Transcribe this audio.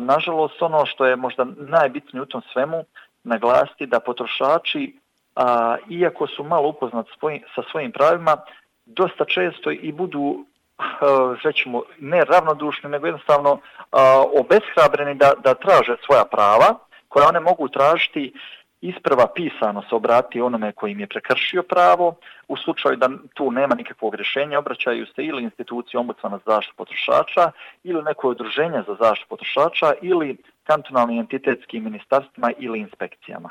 nažalost, ono što je možda najbitnije u tom svemu, naglasiti da potrošači, iako su malo upoznati sa svojim pravima, dosta često i budu, rećemo, ne ravnodušni, nego jednostavno obeshrabreni da traže svoja prava, koja one mogu tražiti isprva pisano se obrati onome koji im je prekršio pravo. U slučaju da tu nema nikakvog rješenja, obraćaju se ili instituciji ombudsmana za zaštitu potrošača ili neko udruženje za zaštitu potrošača ili kantonalnim entitetskim ministarstvima ili inspekcijama.